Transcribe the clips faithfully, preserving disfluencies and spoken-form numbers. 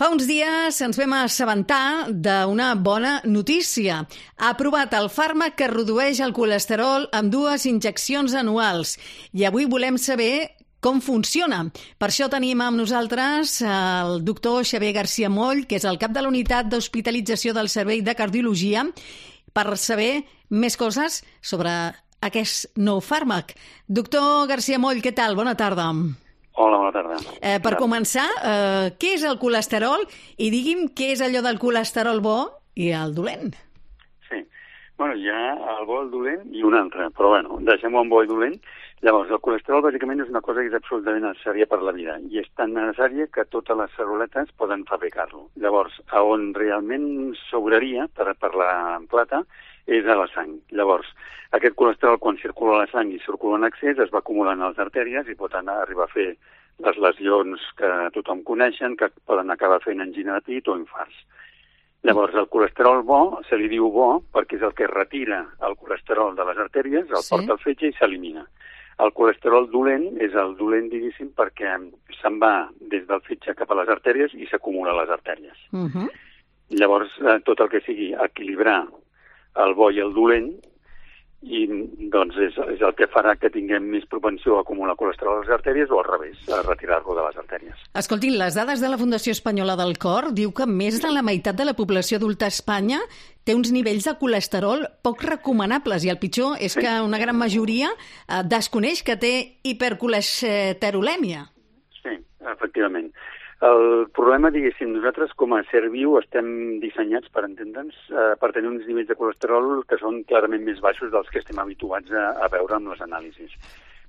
Fa uns dies ens vam assabentar d'una bona notícia. Ha aprovat el fàrmac que redueix el colesterol amb dues injeccions anuals. I avui volem saber com funciona. Per això tenim amb nosaltres el doctor Xavier García Moll, que és el cap de la unitat d'hospitalització del Servei de Cardiologia, per saber més coses sobre aquest nou fàrmac. Doctor García Moll, què tal? Bona tarda. Hola, bona tarda. Eh, per començar, eh, què és el colesterol? I digui'm què és allò del colesterol bo i el dolent. Sí, bueno, hi ha el bo, el dolent i un altre, però bueno, deixem-ho en bo i dolent. Llavors, el colesterol bàsicament és una cosa que és absolutament necessària per la vida i és tan necessària que totes les cèl·luletes poden fabricar-lo. Llavors, a on realment sobraria per, per la plata és a la sang. Llavors, aquest colesterol, quan circula a la sang i circula en excés, es va acumulant a les artèries i pot anar, arribar a fer les lesions que tothom coneixen, que poden acabar fent angina de pit o infarts. Llavors, el colesterol bo se li diu bo perquè és el que retira el colesterol de les artèries, el Sí. porta al fetge i s'elimina. El colesterol dolent és el dolent, diguéssim, perquè se'n va des del fetge cap a les artèries i s'acumula a les artèries. Uh -huh. Llavors, eh, tot el que sigui equilibrar el bo i el dolent, i doncs és, és el que farà que tinguem més propensió a acumular colesterol a les artèries o al revés, a retirar-lo de les artèries. Escoltin, les dades de la Fundació Espanyola del Cor diu que més de la meitat de la població adulta a Espanya té uns nivells de colesterol poc recomanables i el pitjor és Sí. que una gran majoria eh, desconeix que té hipercolesterolèmia. Sí, efectivament. El problema, diguéssim, nosaltres com a ser viu estem dissenyats, per entendre'ns, eh, per tenir uns nivells de colesterol que són clarament més baixos dels que estem habituats a, a veure amb les anàlisis.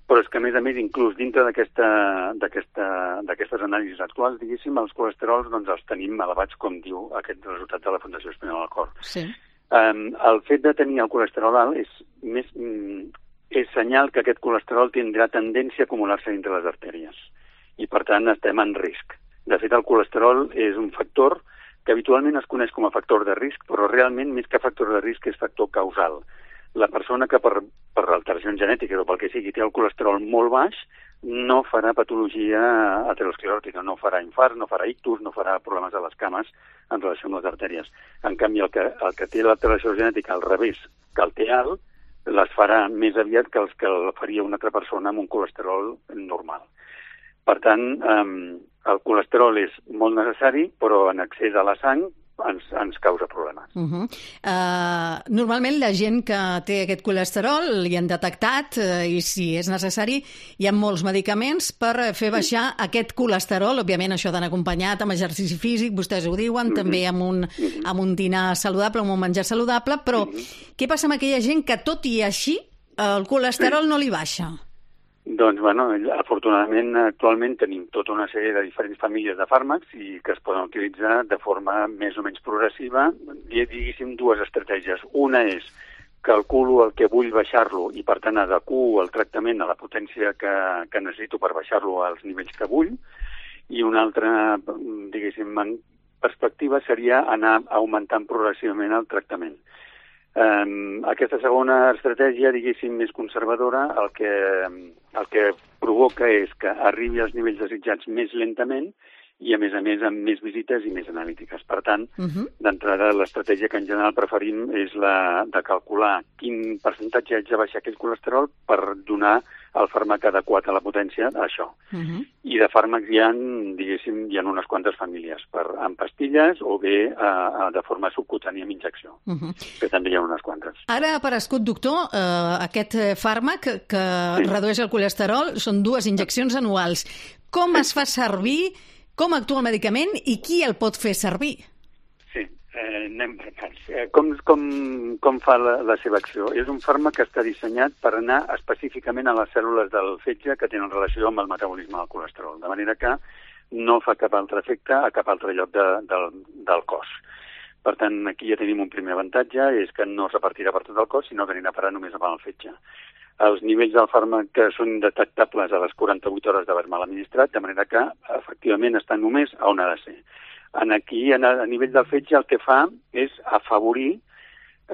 Però és que, a més a més, inclús dintre d'aquesta, d'aquesta, d'aquestes anàlisis actuals, diguéssim, els colesterols doncs, els tenim elevats, com diu aquest resultat de la Fundació Espanyola del Cor. Sí. Um, el fet de tenir el colesterol alt és, més, mm, és senyal que aquest colesterol tindrà tendència a acumular-se dintre les artèries i, per tant, estem en risc. De fet, el colesterol és un factor que habitualment es coneix com a factor de risc, però realment, més que factor de risc, és factor causal. La persona que per, per alteracions genètiques o pel que sigui té el colesterol molt baix no farà patologia ateroscleròtica, no farà infarts, no farà ictus, no farà problemes a les cames en relació amb les artèries. En canvi, el que, el que té l'alteració genètica al revés, que el té alt, les farà més aviat que els que el faria una altra persona amb un colesterol normal. Per tant, eh, el colesterol és molt necessari, però en excés a la sang ens, ens causa problemes. Uh -huh. uh, normalment la gent que té aquest colesterol li han detectat uh, i si és necessari hi ha molts medicaments per fer baixar aquest colesterol. Òbviament això ha d'anar acompanyat amb exercici físic, vostès ho diuen, uh -huh. també amb un, uh -huh. amb un dinar saludable, amb un menjar saludable, però uh -huh. què passa amb aquella gent que tot i així el colesterol sí. no li baixa? Doncs, bueno, afortunadament, actualment tenim tota una sèrie de diferents famílies de fàrmacs i que es poden utilitzar de forma més o menys progressiva. Diguéssim, dues estratègies. Una és calculo el que vull baixar-lo i, per tant, adequo el tractament a la potència que, que necessito per baixar-lo als nivells que vull. I una altra, diguéssim, perspectiva seria anar augmentant progressivament el tractament. Um, aquesta segona estratègia, diguéssim, més conservadora, el que, el que provoca és que arribi als nivells desitjats més lentament i, a més a més, amb més visites i més analítiques. Per tant, uh -huh. d'entrada, l'estratègia que en general preferim és la de calcular quin percentatge haig de baixar aquell colesterol per donar el fàrmac adequat a la potència a això. Uh -huh. I de fàrmacs hi ha, diguéssim, hi ha unes quantes famílies, per, en pastilles o bé a, a, de forma subcutània amb injecció, uh -huh. que també hi ha unes quantes. Ara ha aparegut, doctor, eh, aquest fàrmac que sí. redueix el colesterol, són dues injeccions anuals. Com sí. es fa servir, com actua el medicament i qui el pot fer servir? Sí, eh, anem per parts. Eh, com, com, com fa la, la seva acció? És un fàrmac que està dissenyat per anar específicament a les cèl·lules del fetge que tenen relació amb el metabolisme del colesterol, de manera que no fa cap altre efecte a cap altre lloc de, del, del cos. Per tant, aquí ja tenim un primer avantatge, és que no es repartirà per tot el cos, sinó que anirà a parar només al fetge. Els nivells del fàrmac que són detectables a les quaranta-vuit hores d'haver-me'l administrat, de manera que, efectivament, està només a on ha de ser. En aquí, a nivell del fetge, el que fa és afavorir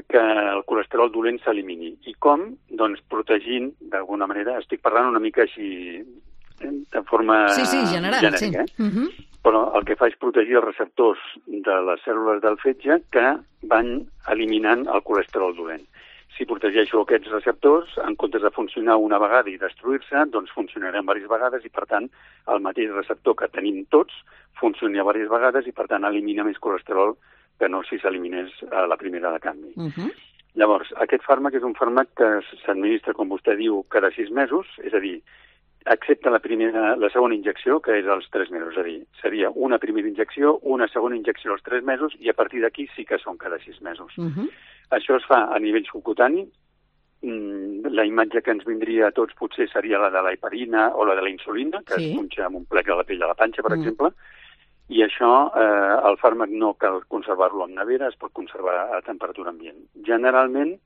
que el colesterol dolent s'elimini. I com? Doncs protegint, d'alguna manera, estic parlant una mica així de forma sí, sí, general, genèrica. Sí. Uh -huh. Però el que fa és protegir els receptors de les cèl·lules del fetge que van eliminant el colesterol dolent. Si protegeixo aquests receptors, en comptes de funcionar una vegada i destruir-se, doncs funcionaran diverses vegades i, per tant, el mateix receptor que tenim tots funciona diverses vegades i, per tant, elimina més colesterol que no si s'eliminés a la primera de canvi. Uh -huh. Llavors, aquest fàrmac és un fàrmac que s'administra, com vostè diu, cada sis mesos, és a dir, excepte la, primera, la segona injecció, que és als tres mesos. És a dir, seria una primera injecció, una segona injecció als tres mesos i a partir d'aquí sí que són cada sis mesos. Uh -huh. Això es fa a nivell subcutani. La imatge que ens vindria a tots potser seria la de la heparina o la de la insulina, que sí. es punxa amb un plec a la pell de la panxa, per uh -huh. exemple, i això, eh, el fàrmac no cal conservar-lo en nevera, es pot conservar a temperatura ambient. Generalment,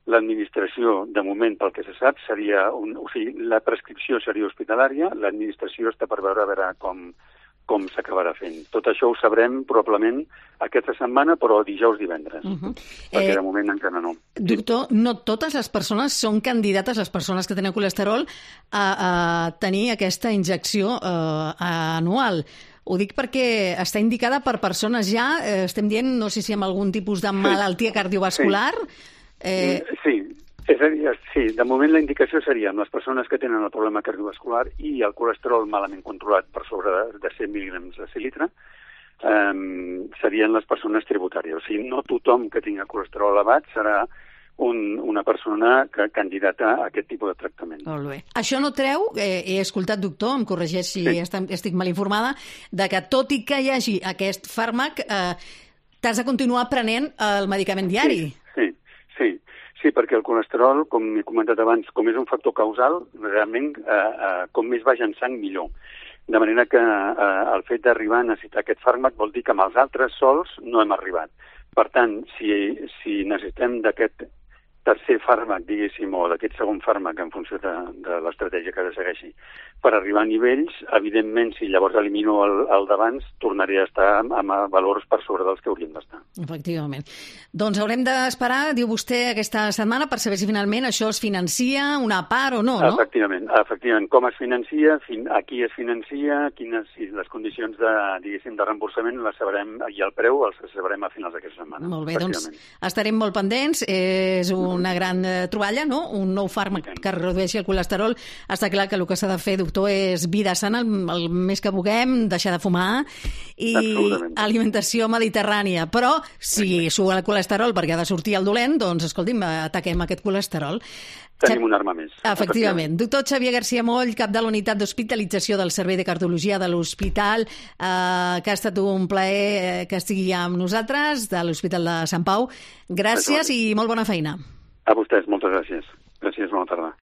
l'administració, de moment, pel que se sap, seria... Un, o sigui, la prescripció seria hospitalària, l'administració està per veure a veure com, com s'acabarà fent. Tot això ho sabrem probablement aquesta setmana, però dijous divendres, uh -huh. perquè eh, de moment encara no. Doctor, no totes les persones són candidates, les persones que tenen colesterol, a, a tenir aquesta injecció eh, anual. Ho dic perquè està indicada per persones ja, eh, estem dient, no sé si amb algun tipus de malaltia cardiovascular... Sí. Eh... Sí, és a dir, sí, de moment la indicació seria amb les persones que tenen el problema cardiovascular i el colesterol malament controlat per sobre de, de cent mil·lígrams de cilitra, eh, serien les persones tributàries. O sigui, no tothom que tingui colesterol elevat serà un, una persona que candidata a aquest tipus de tractament. Molt bé. Això no treu, eh, he escoltat, doctor, em corregeix si sí. estic, estic mal informada, de que tot i que hi hagi aquest fàrmac, eh, t'has de continuar prenent el medicament diari. Sí, sí. Sí, sí, perquè el colesterol, com he comentat abans, com és un factor causal, realment, eh, eh, com més baix en sang, millor. De manera que eh, el fet d'arribar a necessitar aquest fàrmac vol dir que amb els altres sols no hem arribat. Per tant, si, si necessitem d'aquest tercer fàrmac, diguéssim, o d'aquest segon fàrmac en funció de, de l'estratègia que ha de segueixi, per arribar a nivells, evidentment, si llavors elimino el, el d'abans, tornaré a estar amb, amb valors per sobre dels que hauríem d'estar. Efectivament. Doncs haurem d'esperar, diu vostè, aquesta setmana per saber si finalment això es financia una part o no, no? Efectivament. Efectivament. Com es financia, fin, a qui es financia, quines si les condicions de, diguéssim, de reemborsament les sabrem, i el preu els sabrem a finals d'aquesta setmana. Molt bé, doncs estarem molt pendents. És un una gran eh, troballa, no? Un nou fàrmac que redueixi el colesterol. Està clar que el que s'ha de fer, doctor, és vida sana el, el més que puguem, deixar de fumar i alimentació mediterrània. Però si surt el colesterol perquè ha de sortir el dolent, doncs, escolti'm, ataquem aquest colesterol. Tenim una arma més. Efectivament. Doctor Xavier García Moll, cap de la unitat d'hospitalització del Servei de Cardiologia de l'Hospital, eh, que ha estat un plaer que estigui amb nosaltres, de l'Hospital de Sant Pau. Gràcies i molt bona feina. A vostès, moltes gràcies. Gràcies, bona tarda.